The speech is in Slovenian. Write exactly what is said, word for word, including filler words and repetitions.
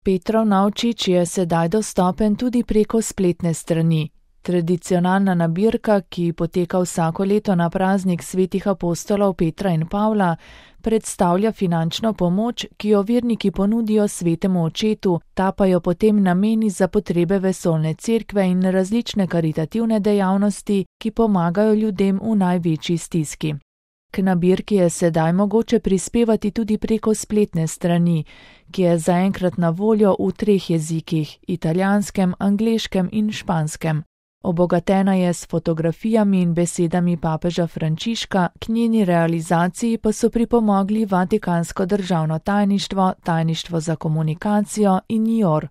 Petrov Navčič je sedaj dostopen tudi preko spletne strani. Tradicionalna nabirka, ki poteka vsako leto na praznik svetih apostolov Petra in Pavla, predstavlja finančno pomoč, ki jo verniki ponudijo svetemu očetu, ta pa jo potem nameni za potrebe vesoljne cerkve in različne karitativne dejavnosti, ki pomagajo ljudem v največji stiski. K nabirki je sedaj mogoče prispevati tudi preko spletne strani, ki je zaenkrat na voljo v treh jezikih, italijanskem, angleškem in španskem. Obogatena je s fotografijami in besedami papeža Frančiška, k njeni realizaciji pa so pripomogli Vatikansko državno tajništvo, Tajništvo za komunikacijo in N I O R.